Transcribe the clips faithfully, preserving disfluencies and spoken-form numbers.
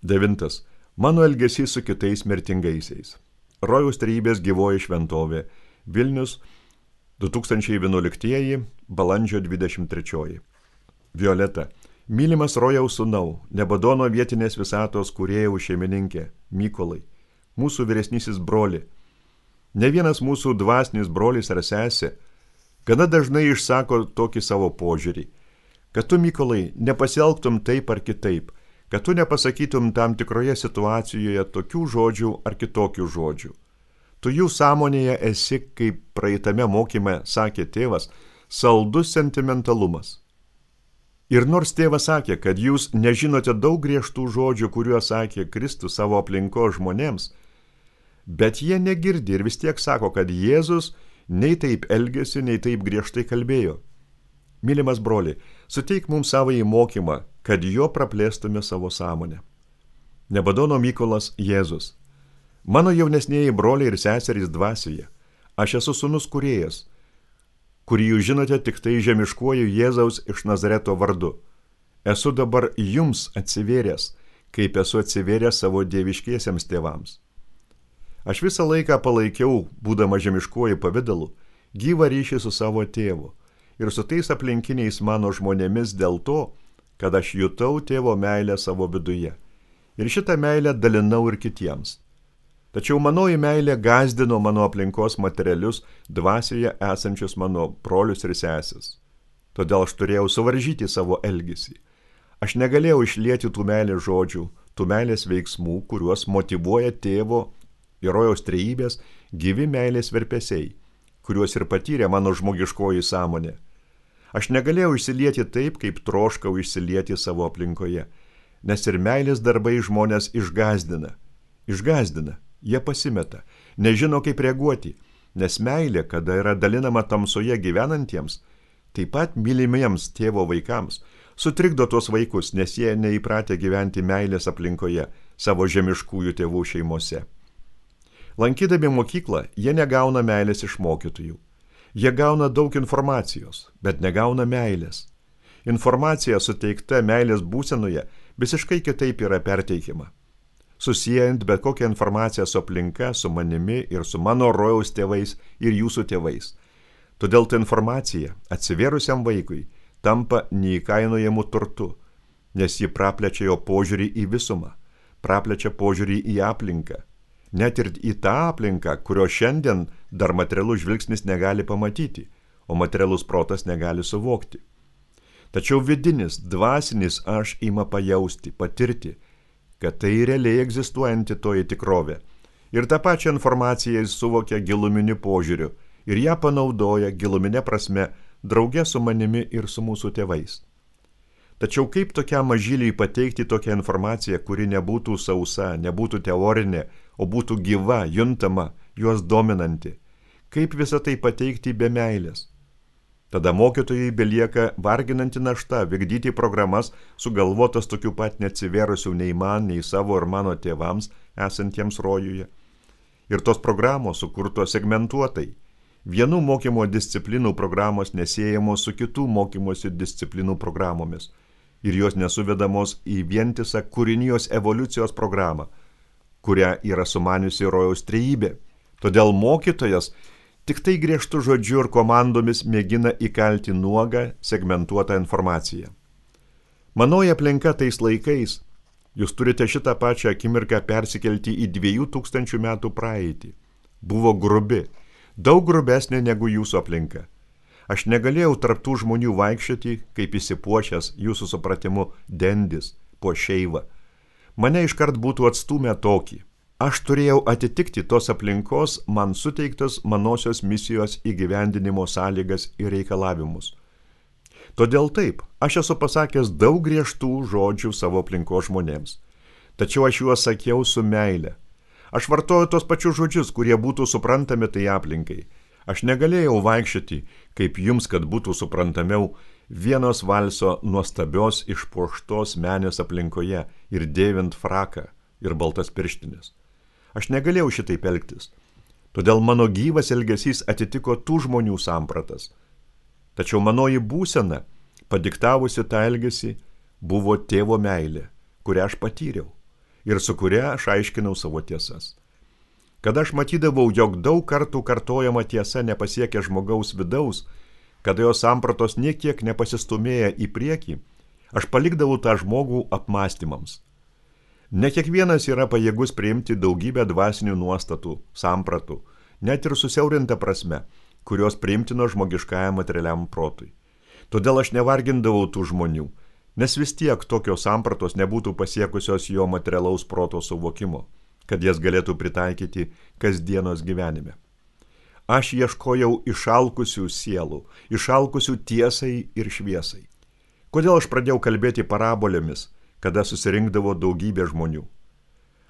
Devintas. Mano elgesys su kitais mirtingaisiais. Rojaus trejybės gyvoji šventovė. Vilnius, du tūkstančiai vienuoliktieji, balandžio dvidešimt trečioji. Violeta. Mylimas Rojaus sūnau, Nebadono vietinės visatos kūrėjų šeimininkė, Mykolai, mūsų vyresnysis broli. Ne vienas mūsų dvasinis brolis ar sesė gana dažnai išsako tokį savo požiūrį, kad tu, Mykolai, nepasielgtum taip ar kitaip, kad tu nepasakytum tam tikroje situacijoje tokių žodžių ar kitokių žodžių. Tu jų sąmonėje esi, kaip praeitame mokyme sakė tėvas, saldus sentimentalumas. Ir nors tėvas sakė, kad jūs nežinote daug griežtų žodžių, kuriuos sakė Kristus savo aplinkos žmonėms, bet jie negirdi ir vis tiek sako, kad Jėzus nei taip elgėsi, nei taip griežtai kalbėjo. Mylimas broli, suteik mums savąjį mokymą, kad jo praplėstume savo sąmonę. Nebadono Mykolas Jėzus. Mano jaunesnieji broliai ir seserys dvasioje. Aš esu sūnus kūrėjas, kurį jūs žinote tik tai žemiškuoju Jėzaus iš Nazareto vardu. Esu dabar jums atsivėręs, kaip esu atsivėręs savo dieviškiesiems tėvams. Aš visą laiką palaikiau, būdama žemiškuoju pavidalu, gyvą ryšį su savo tėvu ir su tais aplinkiniais mano žmonėmis dėl to, kad aš jutau tėvo meilę savo viduje. Ir šitą meilę dalinau ir kitiems. Tačiau manoji meilė gazdino mano aplinkos materialius dvasioje esančius mano brolius ir seses. Todėl aš turėjau suvaržyti savo elgesį. Aš negalėjau išlieti tų meilės žodžių, tų meilės veiksmų, kuriuos motyvuoja tėvo ir Rojaus trejybės gyvi meilės virpesiai, kuriuos ir patyrė mano žmogiškoji sąmonė. Aš negalėjau išsilieti taip, kaip troškau išsilieti savo aplinkoje, nes ir meilės darbai žmonės išgazdina. Išgazdina, jie pasimeta, nežino kaip reaguoti, nes meilė, kada yra dalinama tamsoje gyvenantiems, taip pat mylimiems tėvo vaikams, sutrikdo tuos vaikus, nes jie neįpratę gyventi meilės aplinkoje savo žemiškųjų tėvų šeimose. Lankydami mokyklą, jie negauna meilės iš mokytojų. Jie gauna daug informacijos, bet negauna meilės. Informacija suteikta meilės būsenoje visiškai kitaip yra perteikima. Susijant bet kokią informaciją su aplinka, su manimi ir su mano Rojaus tėvais ir jūsų tėvais. Todėl ta informacija atsivėrusiam vaikui tampa neįkainojamu turtu, nes ji praplečia jo požiūrį į visumą, praplečia požiūrį į aplinką. Net ir į tą aplinką, kurio šiandien dar materialus žvilgsnis negali pamatyti, o materialus protas negali suvokti. Tačiau vidinis, dvasinis aš ima pajausti, patirti, kad tai realiai egzistuojanti toji tikrovė. Ir tą pačią informaciją jis suvokia giluminiu požiūriu ir ją panaudoja giluminė prasme drauge su manimi ir su mūsų tėvais. Tačiau kaip tokiam mažyliui pateikti tokią informaciją, kuri nebūtų sausa, nebūtų teorinė, o būtų gyva, juntama, juos dominanti? Kaip visą tai pateikti be meilės? Tada mokytojai belieka varginanti našta vykdyti programas sugalvotas tokių pat neatsivėrusių nei man, nei savo ir mano tėvams esantiems rojuje. Ir tos programos sukurtos segmentuotai. Vienų mokymo disciplinų programos nesiejamos su kitų mokymosi disciplinų programomis. Ir jos nesuvedamos į vientisą kūrinijos evoliucijos programą, kurią yra sumaniusi Rojaus trejybė. Todėl mokytojas tik tai griežtų žodžiu ir komandomis mėgina įkalti nuogą, segmentuotą informaciją. Manoji aplinka tais laikais, jūs turite šitą pačią akimirką persikelti į dviejų tūkstančių metų praeitį. Buvo grubi, daug grubesnė negu jūsų aplinka. Aš negalėjau tarptų žmonių vaikščioti, kaip įsipuošęs jūsų supratimu dendis po šeivą. Mane iškart būtų atstūmę tokį. Aš turėjau atitikti tos aplinkos man suteiktas manosios misijos įgyvendinimo sąlygas ir reikalavimus. Todėl taip, aš esu pasakęs daug griežtų žodžių savo aplinkos žmonėms. Tačiau aš juos sakiau su meile. Aš vartoju tos pačius žodžius, kurie būtų suprantami tai aplinkai. Aš negalėjau vaikščioti, kaip jums, kad būtų suprantamiau, vienos valso nuostabios išpuoštos menės aplinkoje ir dėvint fraką ir baltas pirštinės. Aš negalėjau šitaip elgtis. Todėl mano gyvas elgesys atitiko tų žmonių sampratas. Tačiau manoji būsena, padiktavusi tą elgesį, buvo tėvo meilė, kurią aš patyriau. ir su kuria aš aiškinau savo tiesas. Kada aš matydavau, jog daug kartų kartojama tiesa nepasiekia žmogaus vidaus, kada jo sampratos niekiek nepasistumėja į priekį, aš palikdavau tą žmogų apmąstymams. Ne kiekvienas yra pajėgus priimti daugybę dvasinių nuostatų, sampratų, net ir susiaurinta prasme, kurios priimtino žmogiškajam materialiam protui. Todėl aš nevargindavau tų žmonių, nes vis tiek tokios sampratos nebūtų pasiekusios jo materialaus proto suvokimo, kad jas galėtų pritaikyti kasdienos gyvenime. Aš ieškojau išalkusių sielų, išalkusių tiesai ir šviesai. Kodėl aš pradėjau kalbėti parabolėmis, kada susirinkdavo daugybė žmonių?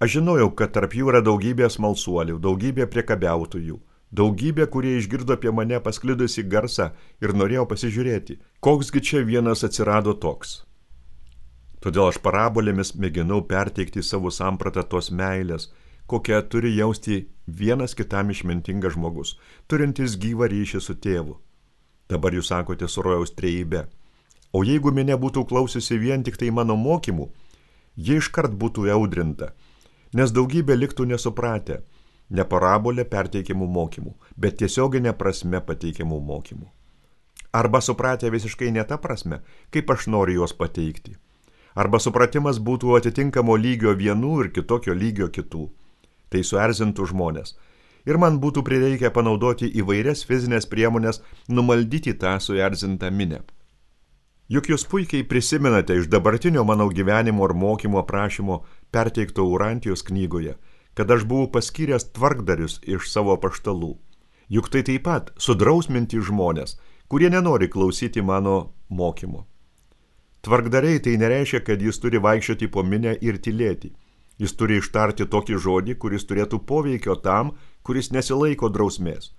Aš žinojau, kad tarp jų yra daugybė smalsuolių, daugybė priekabiautojų, daugybė, kurie išgirdo apie mane pasklidusi garsą ir norėjo pasižiūrėti, koksgi čia vienas atsirado toks. Todėl aš parabolėmis mėginau perteikti savo sampratą tos meilės, kokią turi jausti vienas kitam išmintingas žmogus, turintis gyvą ryšį su tėvu. Dabar jūs sakote su rojaus trejybe. O jeigu minia būtų klausiusi vien tik tai mano mokymų, jie iškart būtų audrinta, nes daugybė liktų nesupratę, ne parabolė perteikiamų mokymų, bet tiesioginė prasme pateikiamų mokymų. Arba supratę visiškai ne tą prasme, kaip aš noriu juos pateikti. Arba supratimas būtų atitinkamo lygio vienų ir kitokio lygio kitų. Tai suerzintų žmonės. Ir man būtų prireikę panaudoti įvairias fizinės priemonės numaldyti tą suerzintą minę. Juk jūs puikiai prisimenate iš dabartinio mano gyvenimo ir mokymo aprašymo perteikto Urantijos knygoje, kad aš buvau paskyręs tvarkdarius iš savo apaštalų. Juk tai taip pat sudrausminti žmonės, kurie nenori klausyti mano mokymo. Tvarkdariai tai nereiškia, kad jis turi vaikščioti po minę ir tylėti. Jis turi ištarti tokį žodį, kuris turėtų poveikio tam, kuris nesilaiko drausmės.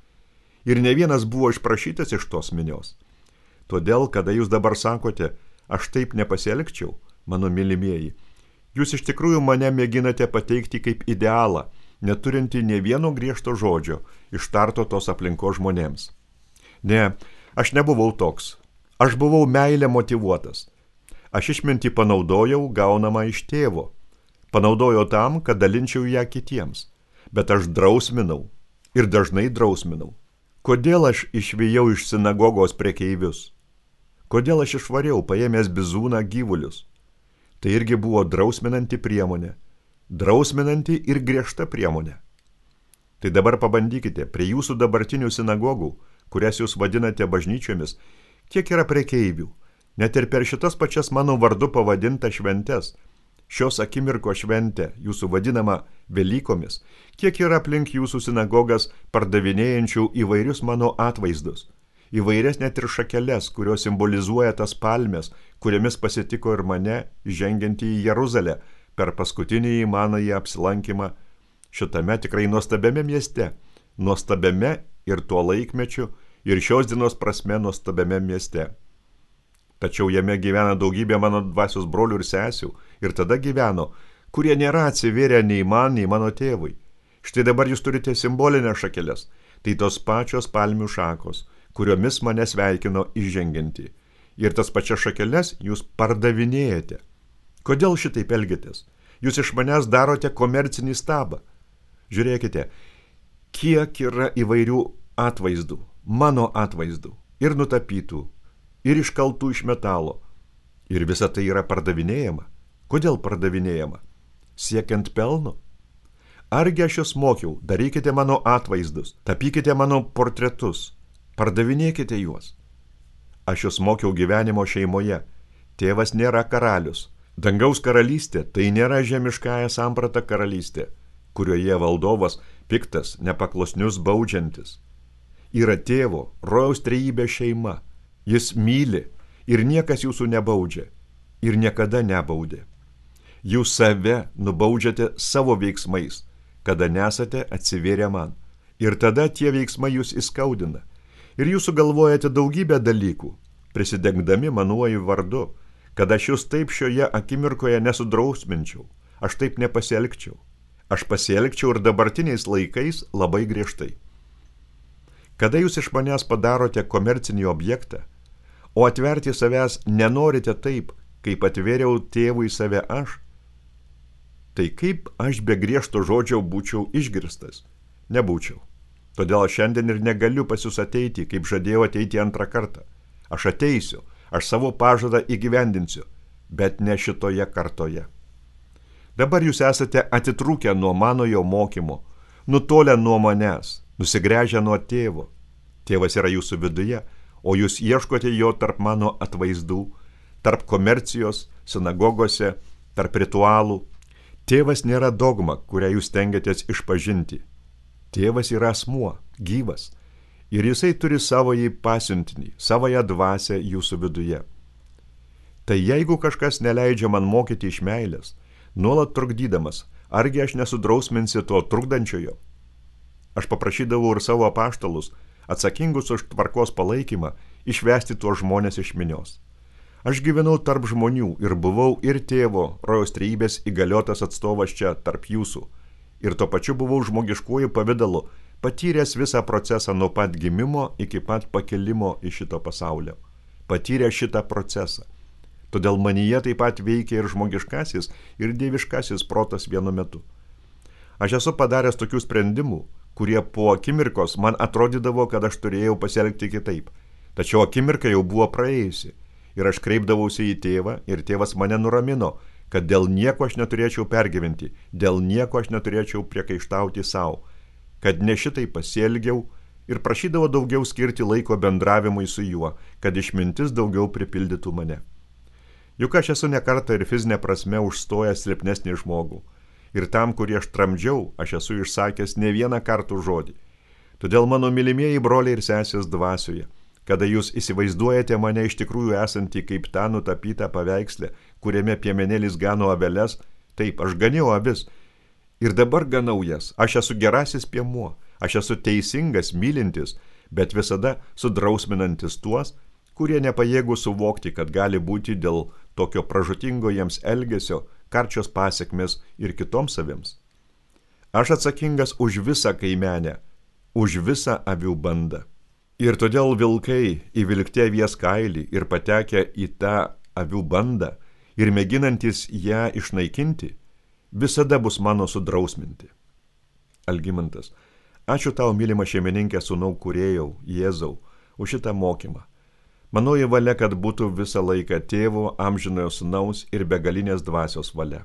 Ir ne vienas buvo išprašytas iš tos minios. Todėl, kada jūs dabar sakote, aš taip nepasielgčiau, mano mylimieji, jūs iš tikrųjų mane mėginate pateikti kaip idealą, neturinti nė vieno griežto žodžio, ištarto tos aplinkos žmonėms. Ne, aš nebuvau toks. Aš buvau meilę motyvuotas. Aš išmintį panaudojau gaunamą iš tėvo. Panaudojau tam, kad dalinčiau ją kitiems. Bet aš drausminau ir dažnai drausminau. Kodėl aš išvijau iš sinagogos prekeivius? Kodėl aš išvariau, paėmęs bizūną gyvulius? Tai irgi buvo drausminanti priemonė. Drausminanti ir griežta priemonė. Tai dabar pabandykite, prie jūsų dabartinių sinagogų, kurias jūs vadinate bažnyčiomis, kiek yra prekeivių, net ir per šitas pačias mano vardu pavadinta šventes, šios akimirko šventę, jūsų vadinama Velykomis, kiek yra aplink jūsų sinagogas pardavinėjančių įvairius mano atvaizdus, įvairias net ir šakeles, kurios simbolizuoja tas palmes, kuriamis pasitiko ir mane žengiantį į Jeruzalę per paskutinį manąjį apsilankymą šitame tikrai nuostabiame mieste, nuostabiame ir tuo laikmečiu, ir šios dienos prasme nuostabiame mieste. Tačiau jame gyvena daugybė mano dvasios brolių ir sesių, ir tada gyveno, kurie nėra atsivėrę nei man, nei mano tėvui. Štai dabar jūs turite simbolinės šakeles, tai tos pačios palmių šakos, kuriomis mane sveikino įžengianti. Ir tas pačias šakeles jūs pardavinėjate. Kodėl šitaip elgiatės? Jūs iš manęs darote komercinį stabą. Žiūrėkite, kiek yra įvairių atvaizdų, mano atvaizdų, ir nutapytų, ir iškaltų iš metalo. Ir visa tai yra pardavinėjama. Kodėl pardavinėjama? Siekiant pelno? Argi aš jūs mokiau, darykite mano atvaizdus, tapykite mano portretus, pardavinėkite juos. Aš jūs mokiau gyvenimo šeimoje. Tėvas nėra karalius. Dangaus karalystė tai nėra žemiškąja samprata karalystė, kurioje valdovas piktas, nepaklusnius baudžiantis. Yra tėvo, rojaus trejybė šeima. Jis myli ir niekas jūsų nebaudžia ir niekada nebaudė. Jūs save nubaudžiate savo veiksmais, kada nesate atsivėrę man. Ir tada tie veiksmai jūs įskaudina. Ir jūs sugalvojate daugybę dalykų, prisidengdami manuoju vardu, kad aš jūs taip šioje akimirkoje nesudrausminčiau, aš taip nepasielgčiau. Aš pasielgčiau ir dabartiniais laikais labai griežtai. Kada jūs iš manęs padarote komercinį objektą, o atverti savęs nenorite taip, kaip atvėriau tėvui save aš, tai kaip aš be griežto žodžio būčiau išgirstas? Nebūčiau. Todėl aš šiandien ir negaliu pas jūs ateiti, kaip žadėjau ateiti antrą kartą. Aš ateisiu, aš savo pažadą įgyvendinsiu, bet ne šitoje kartoje. Dabar jūs esate atitrūkę nuo manojo mokymo, nutolę nuo manęs, nusigręžę nuo tėvo. Tėvas yra jūsų viduje, o jūs ieškote jo tarp mano atvaizdų, tarp komercijos, sinagogose, tarp ritualų. Tėvas nėra dogma, kurią jūs tengiatės išpažinti. Tėvas yra asmuo, gyvas, ir jisai turi savąjį pasiuntinį, savąją dvasią jūsų viduje. Tai jeigu kažkas neleidžia man mokyti iš meilės, nuolat trukdydamas, argi aš nesudrausminsiu to trukdančiojo? Aš paprašydavau ir savo apaštalus, atsakingus už tvarkos palaikymą, išvesti tuos žmonės iš minios. Aš gyvenau tarp žmonių ir buvau ir tėvo, rojaus trejybės įgaliotas atstovas čia tarp jūsų. Ir tuo pačiu buvau žmogiškuoju pavidalu, patyręs visą procesą nuo pat gimimo iki pat pakilimo iš šito pasaulio. Patyrę šitą procesą. Todėl manyje taip pat veikia ir žmogiškasis, ir dieviškasis protas vienu metu. Aš esu padaręs tokių sprendimų, kurie po akimirkos man atrodydavo, kad aš turėjau pasielgti kitaip. Tačiau akimirka jau buvo praėjusi. Ir aš kreipdavausi į tėvą, ir tėvas mane nuramino, kad dėl nieko aš neturėčiau pergyventi, dėl nieko aš neturėčiau priekaištauti savo, kad ne šitai pasielgiau, ir prašydavo daugiau skirti laiko bendravimui su juo, kad išmintis daugiau pripildytų mane. Juk aš esu nekartą ir fizinė prasme užstojęs silpnesnį žmogų. Ir tam, kurį aš tramdžiau, aš esu išsakęs ne vieną kartų žodį. Todėl mano mylimieji broliai ir sesės dvasioje, kada jūs įsivaizduojate mane iš tikrųjų esantį kaip tą nutapytą paveikslę, kuriame piemenėlis gano aveles, taip, aš ganiau avis. Ir dabar ganau jas, aš esu gerasis piemuo, aš esu teisingas, mylintis, bet visada sudrausminantis tuos, kurie nepajėgų suvokti, kad gali būti dėl tokio pražutingo jiems elgesio karčios pasiekmes ir kitoms avims. Aš atsakingas už visą kaimenę, už visą avių bandą. Ir todėl vilkai įvilkti avies kailį ir patekę į tą avių bandą ir mėginantis ją išnaikinti, visada bus mano sudrausminti. Algimantas, ačiū tau, mylima šeimininkė, sūnau kūrėjau, Jėzau, už šitą mokymą. Manoji valia, kad būtų visą laiką tėvo, amžinojo sūnaus ir begalinės dvasios valia.